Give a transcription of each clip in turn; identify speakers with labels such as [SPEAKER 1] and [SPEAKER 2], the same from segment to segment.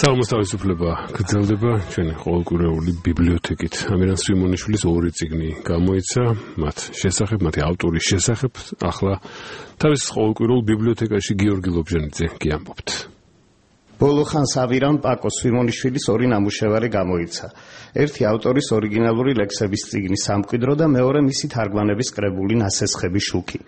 [SPEAKER 1] Salmos თავისუფლება გრძელდება ჩვენი ყოველკვირეული ბიბლიოთეკით. ამირან სვიმონიშვილის ორი წიგნი გამოიცა, მათ შესახებ, მათი ავტორის შესახებ. ახლა თავის ყოველკვირეულ ბიბლიოთეკაში გიორგი ლობჟანიძე გიამბობთ.
[SPEAKER 2] ბოლო ხანს ამირან პაკო სვიმონიშვილის ორი ნამუშევარი გამოიცა. ერთი ავტორის ორიგინალური ლექსების წიგნი სამკვიდრო და მეორე მისი თარგმანების კრებული ნასესხები შუქი.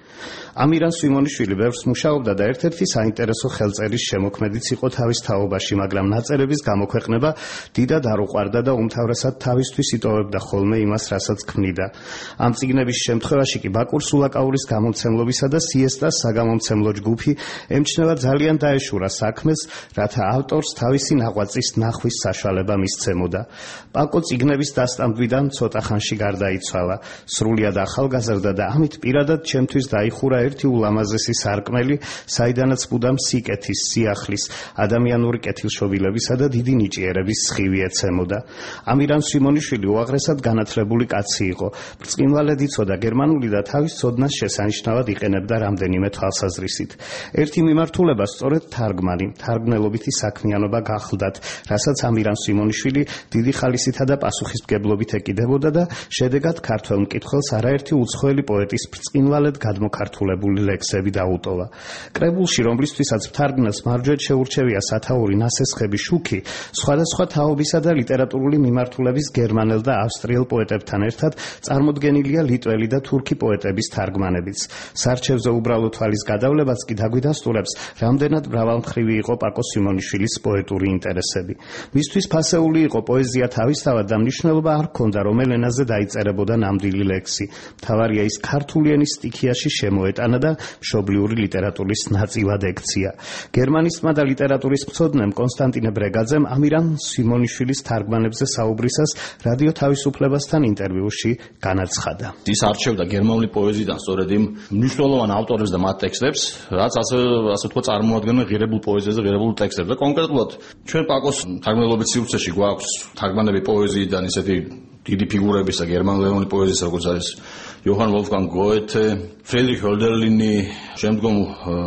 [SPEAKER 2] ამირან სვიმონიშვილი ბევრს მუშაობდა და ერთ-ერთი საინტერესო ხელწერის შემოქმედიც იყო თავის თაობაში, მაგრამ ნაწერების გამოქვეყნება დიდად არ უყვარდა და უმთავრესად თავისთვის იტოვებდა ხოლმე იმას, რასაც ქმნიდა. ამ წიგნების შემთხვევაში კი ბაკურ სულაკაურის გამომცემლობისა და სიესტას საგამომცემლო ჯგუფი ემჩნევა ძალიან დაეშურა საქმეს, რათა ავტორს თავისი ნაღვაწის ნახვის საშუალება მისცემოდა. პაკო წიგნების დასტამბვიდან ცოტა ხანში გარდაიცვალა. სრულიად ახალგაზრდა და ამით პირადად ჩემთვის დაიხურა ერთი ულამაზესი სარკმელი, საიდანაც მუდამ სიკეთის, სიახლის, ადამიანური კეთილშობილებისა და დიდი ნიჭიერების სხივი ეცემოდა. ამირან სვიმონიშვილი უაღრესად განათლებული კაცი იყო. ბრწყინვალედ იცოდა გერმანული და თავის ცოდნას შესანიშნავად იყენებდა რამდენიმე თვალსაზრისით. ერთი მიმართულება სწორედ თარგმანი, თარგმნელობითი საქმიანობა გახლდათ, რასაც ამირან სვიმონიშვილი დიდი ხალისითა და პასუხისმგებლობით ეკიდებოდა და შედეგად ქართველ მკითხველს არაერთი უცხოელი პოეტის ბრწყინვალედ გადმოქართულებული ლექსები დაუტოვა. კრებულში, რომლისთვისაც მთარგმნელს მარჯვედ შეურჩევია სათაური ნასესხები შუქი, სხვადასხვა თაობისა და ლიტერატურული მიმართულების გერმანელ და ავსტრიელ პოეტებთან ერთად წარმოდგენილია ლიტველი და თურქი პოეტების თარგმანებიც. სარჩევზე უბრალო თვალის გადავლებაც კი დაგვიდასტურებს, რამდენად მრავალმხრივი იყო პაკო სვიმონიშვილის პოეტური ინტერესები. მისთვის ფასეული იყო პოეზია თავისთავად და მნიშვნელობა არ ჰქონდა, რომელ ენაზე დაიწერებოდა ნამდვილი ლექსი. მთავარია ის ქართული ენის სტიქიაში შემოეტანა და მშობლიური ლიტერატურის ნაწილად ექცია. გერმანისტმა და ლიტერატურის მცოდნემ კონსტანტინე ბრეგაძემ ამირან სვიმონიშვილის თარგმანებზე საუბრისას რადიო თავისუფლებასთან ინტერვიუში განაცხადა.
[SPEAKER 3] ის არჩევდა გერმანული პოეზიიდან სწორედ იმ მნიშვნელოვან ავტორებს და მათ ტექსტებს, რაც ასე თქვა წარმოადგენენ ღირებულ პოეზიაზე, ღირებულ ტექსტებს და კონკრეტულად ჩვენ პაკოს თარგმნელობის სივრცეში გვაქვს თარგმანები პოეზიიდან ისეთი დიდი ფიგურებისა გერმანული პოეზიის, როგორც არის იოჰან ვოლფგანგ გოეთე, ფრიდრიხ ჰოლდერლინი, შემდგომ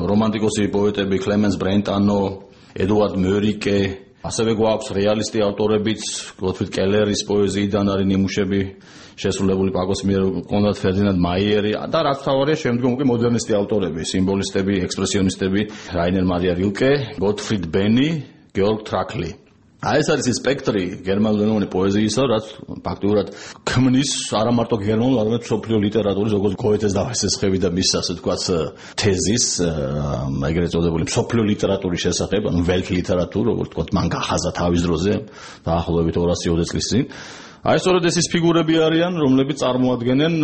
[SPEAKER 3] რომანტიკოსი პოეტები კლემენს ბრენტანო, ედუარდ მერიკე, ასევე გვაქვს რეალისტი ავტორებიც, გოტფრიდ კელერის პოეზიიდან არის ნიმუშები შესრულებული პაკოს მიერ, კონრად ფერდინანდ მაიერი და რაც თავარია შემდგომ უკვე მოდერნისტი ავტორები, სიმბოლისტები, ექსპრესიონისტები, რაინერ მარია rilke, გოტფრიდ ბენი, გეორგ ტრაკლი. ეს არის სპექტრი გერმანულენოვანი პოეზიისა, რაც ფაქტიურად ქმნის არა მარტო გერმანულ, არამედ მსოფლიო ლიტერატურის, როგორც გოეთეს დავასესხები და მის ასე ვთქვათ თეზის, ეგრეთ წოდებული მსოფლიო ლიტერატურის შესახებ, ანუ ველტ ლიტერატურა, როგორც ვთქვათ, მან გახაზა თავის დროზე, დაახლოებით 220 წლის წინ. აი სწორედ ეს ფიგურები არიან, რომლებიც წარმოადგენენ,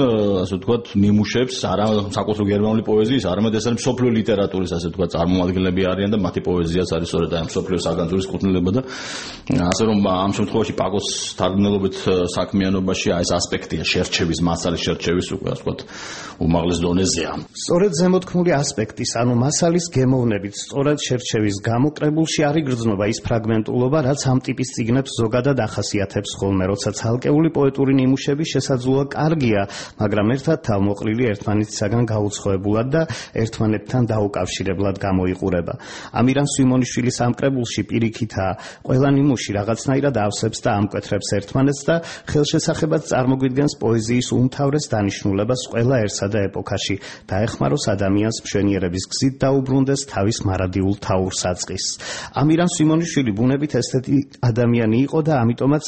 [SPEAKER 3] ასე ვთქვათ, ნიმუშებს, არა საკუთრივ გერმანული პოეზიის, არამედ ეს არის მსოფლიო ლიტერატურის, ასე ვთქვათ, წარმომადგენლები არიან და მათი პოეზიაც არის სწორედ აი მსოფლიო საგანძურის კუთვნილება და ასე რომ ამ შემთხვევაში პაკოს თარგმნელობით საქმიანობაში აი ეს ასპექტია შერჩევის, მასალის შერჩევის უკვე ასე ვთქვათ, უმაღლეს დონეზეა.
[SPEAKER 2] სწორედ ზემოთქმული ასპექტის, ანუ მასალის გემოვნებით, სწორად შერჩევის გამო კრებულში არ იგრძნობა ის ფრაგმენტულობა, რაც ამ ტიპის წიგნებს ზოგადად ახასიათებს ხოლმე, როდესაც ალკეული პოეტური ნიმუშები შესაძლოა კარგია, მაგრამ ერთად თავმოყრილი ერთმანეთისაგან გაუცხოებულად და ერთმანეთთან დაუკავშირებლად გამოიყურება. ამირან სვიმონიშვილის ამ კრებულში პირიქითაა, ყველა ნიმუში რაღაცნაირად ავსებს და ამკვეთრებს ერთმანეთს და ხელშესახებად წარმოგვიდგენს პოეზიის უმთავრეს დანიშნულებას ყველაერსა და ეპოქაში, დაეხმაროს ადამიანს მშვენიერების გზით დაუბრუნდეს თავის მარადიულ თაურ-საწყისს. ამირან სვიმონიშვილი ბუნებით ესთეტი ადამიანი იყო და ამიტომაც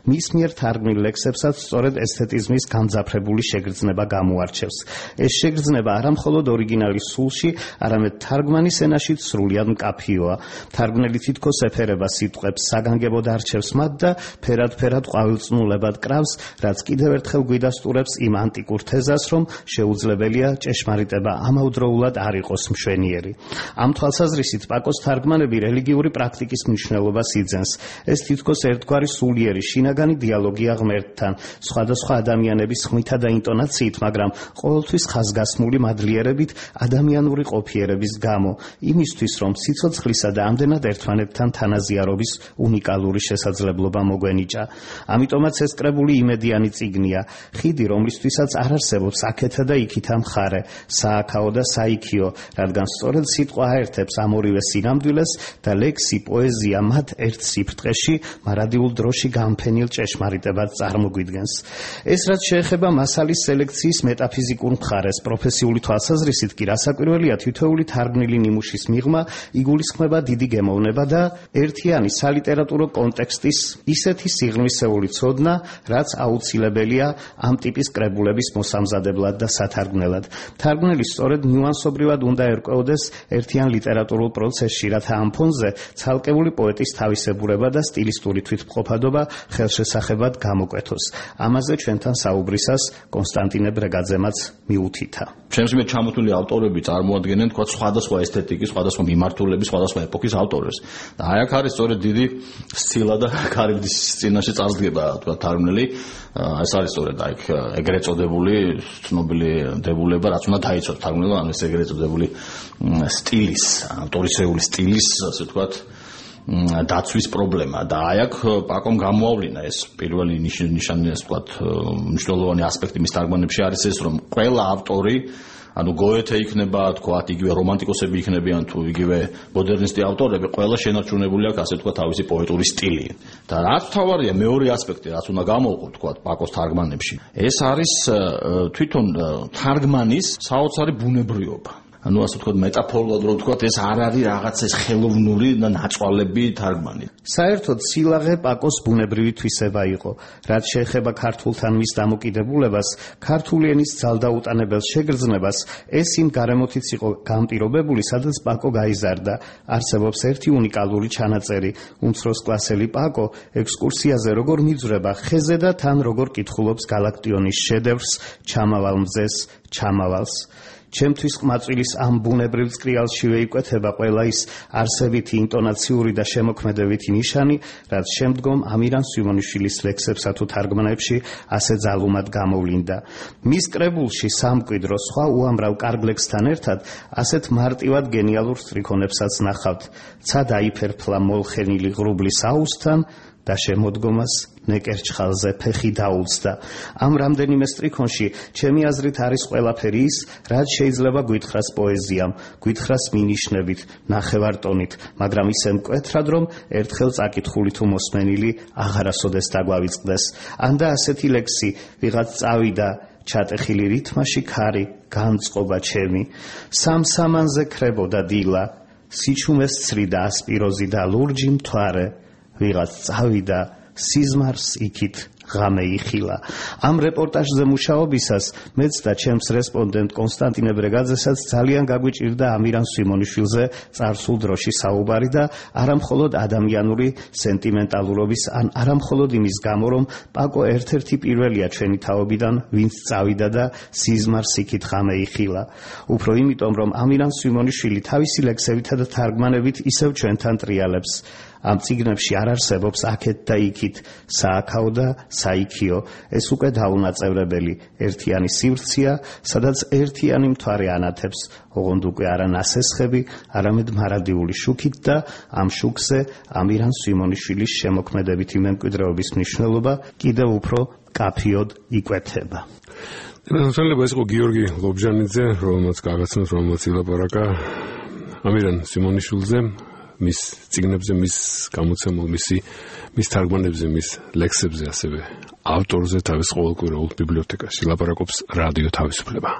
[SPEAKER 2] მის მიერ თარგმნილ ლექსებსაც სწორედ ესთეტიზმის გამძაფრებული შეგრძნება გამოარჩევს. ეს შეგრძნება არა მხოლოდ ორიგინალის სულში, არამედ თარგმანის ენაშიც სრულიად მკაფიოა. თარგმნელი თითქოს ეფერება სიტყვებს, საგანგებოდ არჩევს მათ და ფერად-ფერად ყვავილწნულებად კრავს, რაც კიდევ ერთხელ გვიდასტურებს იმ ანტიკურ თეზას, რომ შეუძლებელია ჭეშმარიტება ამავდროულად არ იყოს მშვენიერი. ამ თვალსაზრისით პაკოს თარგმანები რელიგიური პრაქტიკის მნიშვნელობას იძენს. ეს თითქოს ერთგვარი სულიერი შინაგანი დიალოგი დიალოგია ღმერთთან, სხვადასხვა ადამიანების ხმითა და ინტონაციით, მაგრამ ყოველთვის ხაზგასმული მადლიერებით ადამიანური ყოფიერების გამო, იმისთვის, რომ სიცოცხლისა და ამდენად ერთმანეთთან თანაზიარობის უნიკალური შესაძლებლობა მოგვენიჭა. ამიტომაც ეს კრებული იმედიანი წიგნია, ხიდი, რომლისთვისაც არ არსებობს აქეთა და იქითა მხარე, სააქაო და საიქიო, რადგან სწორედ სიტყვა აერთებს ამ ორივე სინამდვილეს და ლექსი, პოეზია მათ ერთ სიფრტყეში მარადიულ დროში გამფენილ ჭეშმარიტებად წარმოგვიდგენს. ეს რაც შეეხება მასალის სელექციის მეტაფიზიკურ მხარეს, პროფესიული თვალსაზრისით კი რასაკვირველია თითოეული თარგმნილი ნიმუშის მიღმა იგულისხმება დიდი გემოვნება და ერთიანი სალიტერატურო კონტექსტის ისეთი სიღრმისეული ცოდნა, რაც აუცილებელია ამ ტიპის კრებულების მოსამზადებლად და სათარგმნელად. თარგმნელი სწორედ ნიუანსობრივად უნდა ერკვეოდეს ერთიან ლიტერატურულ პროცესში, რათა ამ ფონზე ცალკეული პოეტის თავისებურება და სტილისტური თვითმყოფადობა ხელშესახებად გამოკვეთოს. ამაზე ჩვენთან საუბრისას კონსტანტინე ბრეგაძემაც მიუთითა.
[SPEAKER 3] ჩემს მიერ ჩამოთვლილი ავტორები წარმოადგენენ თქვა სხვადასხვა ესთეტიკის, სხვადასხვა მიმართულების, სხვადასხვა ეპოქის ავტორებს. და აი აქ არის სწორედ დიდი სცილა და კარიბდის წინაშე წარსდგება თქვა თარგმნელი. ეს არის სწორედ აი ეგრეთ წოდებული ცნობილი დებულება, რაც უნდა დაიცვას თარგმნელმა, ანუ ეს ეგრეთ წოდებული სტილის, ავტორისეული სტილის, ასე ვთქვათ, დაცვის პრობლემა. და აი აქ პაკომ გამოავლინა ეს პირველი ნიშანი, ასე ვთქვათ, მნიშვნელოვანი ასპექტი მის თარგმანებში არის ეს, რომ ყველა ავტორი, ანუ გოეთე იქნება, თქვათ, იგივე რომანტიკოსები იქნებიან თუ იგივე მოდერნისტი ავტორები, ყველა შენარჩუნებული აქვს, ასე ვთქვათ, თავისი პოეტური სტილი. და რაც თავარია მეორე ასპექტი, რაც უნდა გამოვყო, თქვათ, პაკოს თარგმანებში, ეს არის თვითონ თარგმანის საოცარი ბუნებრიობა. ანუ ასე ვთქვათ, მეტაფორულად რომ ვთქვათ, ეს არ არის რაღაც ეს ხელოვნური და ნაწვალები თარგმანი.
[SPEAKER 2] საერთოდ სილაღე პაკოს ბუნებრივი თვისება იყო. რაც შეეხება ქართულთან მის დამოკიდებულებას, ქართული ენის ძალდაუტანებელ შეგრძნებას, ეს იმ გარემოთიც იყო განპირობებული, სადაც პაკო გაიზარდა. არსებობს ერთი უნიკალური ჩანაწერი. უმცროსკლასელი პაკო ექსკურსიაზე როგორ მიძვრება ხეზე და თან როგორ კითხულობს გალაქტიონის შედევრს, ჩამავალ მზეს, ჩამავალს. ჩემთვის ყმაწვილის ამ ბუნებრივ წრიალშივე იკვეთება ყველა ის არსებითი ინტონაციური და შემოქმედებითი ნიშანი, რაც შემდგომ ამირან სვიმონიშვილის ლექსებსა თუ თარგმანებში ასე ძალუმად გამოვლინდა. მის კრებულში სამკვიდრო სხვა უამრავ კარგ ლექსთან ერთად ასეთ მარტივად გენიალურ სტრიქონებსაც ნახავთ. ცა დაიფერფლა მოლხენილი ღრუბლის აუზთან და შემოდგომას ნეკერჩხალზე ფეხი დაუცდა. ამ რამდენიმე სტრიქონში ჩემი აზრით არის ყველაფერი ის, რაც შეიძლება გვითხრას პოეზიამ, გვითხრას მინიშნებით, ნახევარტონით, მაგრამ ისე მკვეთრად, რომ ერთხელ წაკითხული თუ მოსმენილი აღარასოდეს დაგვავიწყდეს. ან და ასეთი ლექსი, ვიღაც წავიდა ჩატეხილი რითმაში ქარი, განწყობა ჩემი, სამ-სამანზე ქრებოდა დილა, სიჩუმეს ცრიდა ასპიროზი და ლურჯი მთვარე, ვიღაც წავიდა სიზმარს იქით ღამე იხილა. ამ რეპორტაჟზე მუშაობისას მეც და ჩემს რესპონდენტ კონსტანტინე ბრეგაძესაც ძალიან გაგვიჭირდა ამირან სვიმონიშვილზე წარსულ დროში საუბარი და არამხოლოდ ადამიანური სენტიმენტალურობის, ან არამხოლოდ იმის გამო, რომ პაკო ერთ-ერთი პირველია ჩვენი თაობიდან, ვინც წავიდა და სიზმარს იქით ღამე იხილა. უფრო იმიტომ, რომ ამირან სვიმონიშვილი თავისი ლექსებითა და თარგმანებით ისევ ჩვენთან ტრიალებს. ამ წიგნებში არ არსებობს აქეთ და იქით, სააქაო და საიქიო. ეს უკვე დაუნაწევრებელი ერთიანი სივრცეა, სადაც ერთიანი მთვარე ანათებს, ოღონდ უკვე არა ნასესხები, არამედ მარადიული შუქით და ამ შუქზე ამირან სვიმონიშვილის შემოქმედებითი მემკვიდრეობის მნიშვნელობა კიდევ უფრო კაფიოდ იკვეთება.
[SPEAKER 1] შეიძლება ეს იყო გიორგი ლობჟანიძე, რომელმაც გაგაცნოს, რომელმაც ილაპარაკა ამირან სვიმონიშვილზე, მის წიგნებზე, მის გამოცემულ, მის თარგმანებზე, მის ლექსებზე, ასევე ავტორზე თავის ყოველკვირეულ ბიბლიოთეკაში ლაპარაკობს რადიო თავისუფლება.